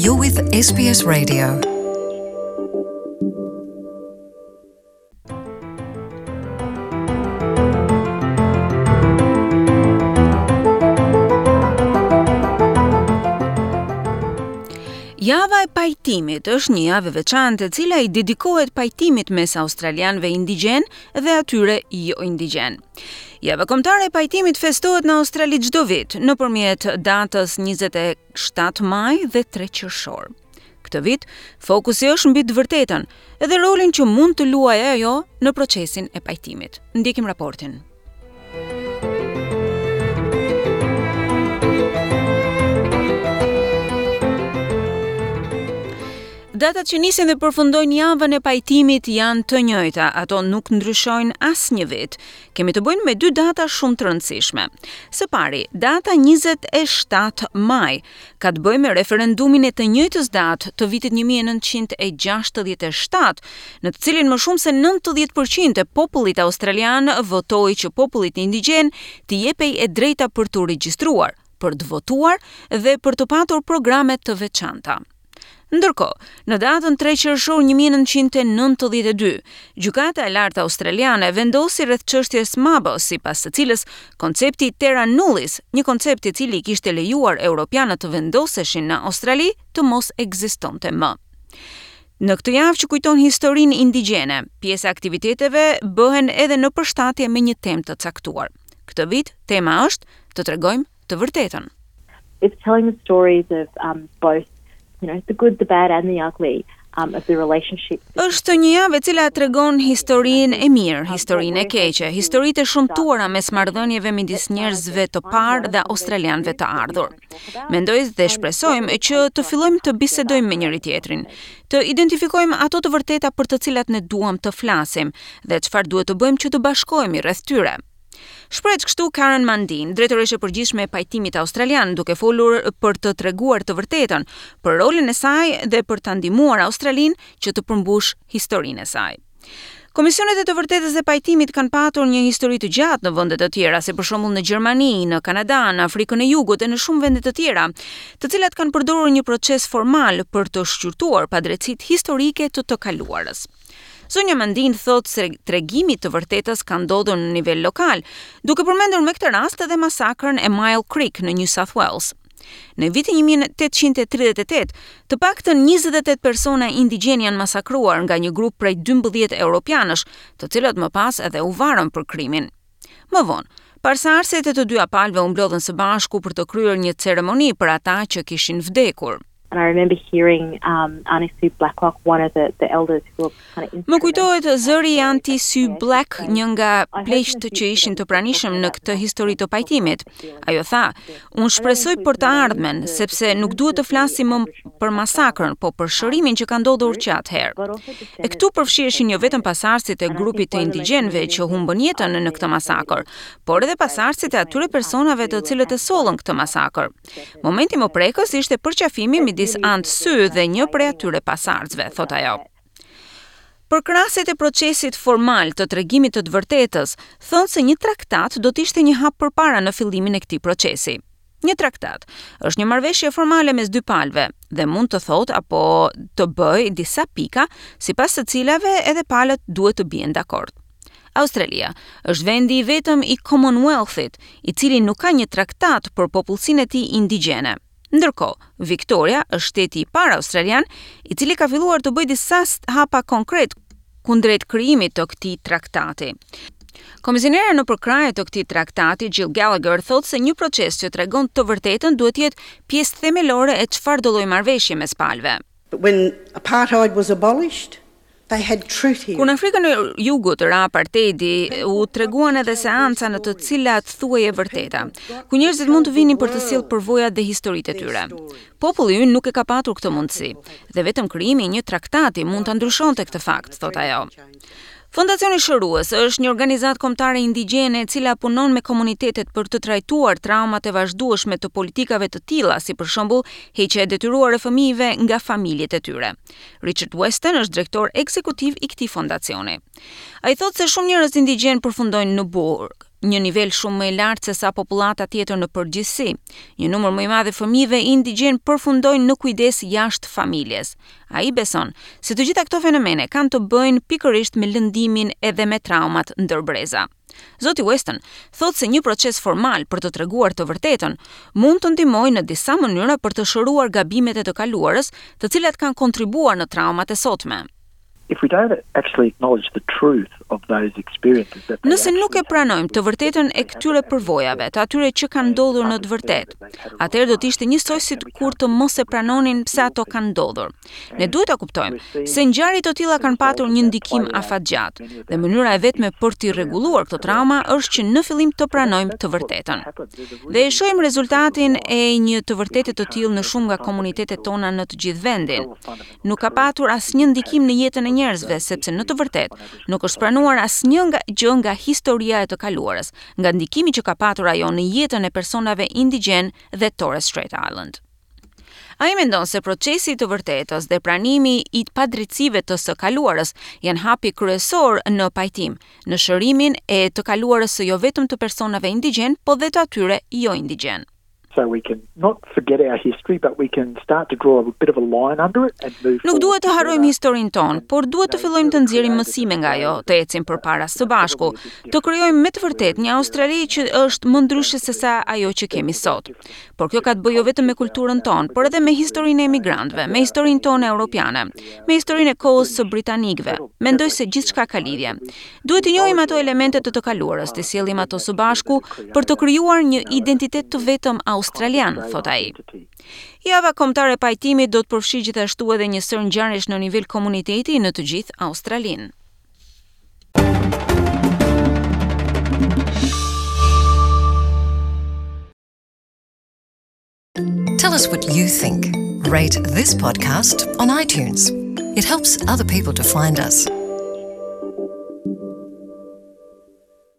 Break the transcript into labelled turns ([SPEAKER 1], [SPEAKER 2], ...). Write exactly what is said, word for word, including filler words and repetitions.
[SPEAKER 1] You're with S B S Radio.
[SPEAKER 2] Java e pajtimit është një javë e veçantë e cila i dedikohet pajtimit mes australianëve indigjen dhe atyre jo indigjen. Java kombëtare e pajtimit festohet në Australi çdo vit nëpërmjet datës njëzet e shtatë maj dhe tre qershor. Këtë vit, fokusi është mbi të vërtetën dhe rolin që mund të luajë ajo në procesin e pajtimit. Ndjekim raportin. Datat që nisin dhe përfundojnë javën e pajtimit janë të njëjta, ato nuk ndryshojnë asnjë vit. Kemi të bëjmë me dy data shumë të rëndësishme. Së pari, data njëzet e shtatë maj ka të bëjë me referendumin e të njëjtës datë të vitit një mijë e nëntëqind e gjashtëdhjetë e shtatë, në të cilin më shumë se nëntëdhjetë për qind e popullit australian votoi që popullit indigjen t'i jepej e drejta për të regjistruar, për të votuar dhe për të patur programe të veçanta. Ndërkohë, në datën tre qershor një mijë e nëntëqind e nëntëdhjetë e dy, Gjykata e Lartë Australiane vendosi rreth çështjes Mabo, sipas së cilës koncepti terra nullius, një koncept i cili kishte lejuar europianët të vendoseshin në Australi, të mos ekzistonte më. Në këtë javë që kujton historinë indigjene, pjesa e aktiviteteve bëhen edhe në përshtatje me një temë të caktuar. Këtë vit tema është të tregojmë të vërtetën.
[SPEAKER 3] It's telling the stories of um, both you know, the good, the bad and the ugly um, of the relationship.
[SPEAKER 2] Është një javë e cila tregon historinë e mirë, historinë e keqe, historitë e shëmtuara mes marrëdhënieve midis njerëzve të parë dhe australianëve të ardhur. Mendoj dhe shpresojmë që të fillojmë të bisedojmë me njëri tjetrin, të identifikojmë ato të vërteta për të cilat ne duam të flasim dhe çfarë duhet të bëjmë që të bashkohemi rreth tyre. Shprehet kështu Karen Mundine, drejtoreshë e përgjithshme e pajtimit australian, duke folur për të treguar të vërtetën, për rolin e saj dhe për ta ndihmuar Australinë që të përmbush historinë e saj. Komisionet e të vërtetës dhe pajtimit kanë patur një histori të gjatë në vende të tjera, si për shembull në Gjermani, në Kanada, në Afrikën e Jugut e në shumë vende të tjera, të cilat kanë përdorur një proces formal për të shqyrtuar padrejtësitë historike të të kaluarës. Zonja Mundine thot se tregimi të vërtetës ka ndodhur në nivel lokal, duke përmendur me këtë rast edhe masakrën e Myall Creek në New South Wales. Në vitin një mijë e tetëqind e tridhjetë e tetë, të paktën njëzet e tetë persona indigjen janë masakruar nga një grup prej dymbëdhjetë europianësh, të cilët më pas edhe u varën për krimin. Më vonë, pasardhësit e të dyja palëve u mblodhën së bashku për të kryer një ceremoni për ata që kishin vdekur.
[SPEAKER 3] And I remember hearing um, Auntie Sue Blacklock, one of the, the elders who were kind of
[SPEAKER 2] Më kujtohet zëri i Auntie Sue Black, një nga pleqtë që ishin të pranishëm në këtë histori të pajtimit. Ajo tha: "Unë shpresoj për të ardhmen, sepse nuk duhet të flasim më për masakrën, po për shërimin që ka ndodhur që atëherë." E këtu përfshiheshin jo vetëm pasardhësit e grupit të indigjenëve që humbën jetën në këtë masakër, por edhe pasardhësit e atyre personave të cilët e sollën këtë masakër. Momenti më prekës ishte përqafimi midis Aunt Sue dhe një prej atyre pasardhësve, thot ajo. Përkrahësit e procesit formal të tregimit të të vërtetës thonë se një traktat do të ishte një hap përpara në fillimin e këtij procesi. Një traktat është një marrëveshje formale mes dy palëve dhe mund të thotë apo të bëjë disa pika sipas të cilave edhe palët duhet të bien dakord. Australia është vendi i vetëm i Commonwealthit, i cili nuk ka një traktat për popullsinë e tij indigjene. Ndërkohë, Victoria është shteti i parë australian i cili ka filluar të bëjë disa hapa konkret kundrejt krijimit të këtij traktati. Komisionera në përkrahje të këtij traktati, Jill Gallagher, thotë se një proces që tregon të vërtetën duhet të jetë pjesë themelore e çfarëdo lloj marrëveshje mes palëve.
[SPEAKER 4] But when apartheid was abolished, they had truth here.
[SPEAKER 2] Kur në Afrikën e Jugut ra apartheidi, u treguan edhe seanca në të cilat thuhej e vërteta, ku njerëzit mund të vinin për të sjellë përvojat dhe historitë e tyre. Populli ynë nuk e ka patur këtë mundësi, dhe vetëm krijimi i një traktati mund ta ndryshonte këtë fakt, thot ajo. Fondacioni Shërues është një organizatë kombëtare indigjene e cila punon me komunitetet për të trajtuar traumat e vazhdueshme të politikave të tilla, si për shembull heqja e detyruar e fëmijëve nga familjet e tyre. Richard Weston është drejtor ekzekutiv i këtij fondacioni. Ai thotë se shumë njerëz indigjen përfundojnë në burg. Një nivel shumë më i lartë se sa popullata tjetër në përgjithësi. Një numër më i madh i fëmijëve indigjen përfundojnë në kujdes jashtë familjes. Ai beson se të gjitha këto fenomene kanë të bëjnë pikërisht me lëndimin edhe me traumat ndër breza. Zoti Weston thotë se një proces formal për të treguar të vërtetën mund të ndihmojë në disa mënyra për të shëruar gabimet e të kaluarës, të cilat kanë kontribuar në traumat e sotme.
[SPEAKER 5] If we don't actually acknowledge the truth of those experiences that
[SPEAKER 2] Nëse nuk e pranojmë të vërtetën e këtyre përvojave, të atyre që kanë ndodhur në të vërtetë, atëherë do të ishte njësoj si kur të mos e pranonin pse ato kanë ndodhur. Ne duhet ta kuptojmë se ngjarje të tilla kanë patur një ndikim afatgjatë dhe mënyra e vetme për t'i rregulluar këto trauma është që në fillim të pranojmë të vërtetën. Dhe e shohim rezultatin e një të vërtete të tillë në shumë nga komunitetet tona në të gjithë vendin. Nuk ka patur asnjë ndikim në jetën e njerëzve, sepse në të vërtetë nuk është pranuar asnjë nga gjë nga historia e të kaluarës, nga ndikimi që ka patur ajo në jetën e personave indigjen dhe Torres Strait Island. Ai mendon se procesi i të vërtetës dhe pranimi i padrejtësive të së kaluarës janë hapi kryesor në pajtim, në shërimin e të kaluarës së jo vetëm të personave indigjen, po dhe të atyre jo indigjen.
[SPEAKER 5] So we can not forget our history, but we can start to draw a bit of a line under it and move
[SPEAKER 2] Nuk duhet të harrojmë historinë tonë, por duhet të fillojmë të nxjerrim mësime nga ajo, të ecim përpara së bashku, të krijojmë me të vërtetë një Australi që është më ndryshe se sa ajo që kemi sot. Por kjo ka të bëjë jo vetëm me kulturën tonë, por edhe me historinë e emigrantëve, me historinë tonë europiane, me historinë e kohës së britanikëve. Mendoj se gjithçka ka lidhje. Duhet të njohim ato elemente të të kaluarës, të sjellim ato së bashku për të krijuar një identitet të vetëm australian, thot ai. Java kombëtare e pajtimit do të përfshijë gjithashtu edhe një sërë ngjarjesh në nivel komuniteti në të gjithë Australinë.
[SPEAKER 1] Tell us what you think. Rate this podcast on iTunes. It helps other people to find us.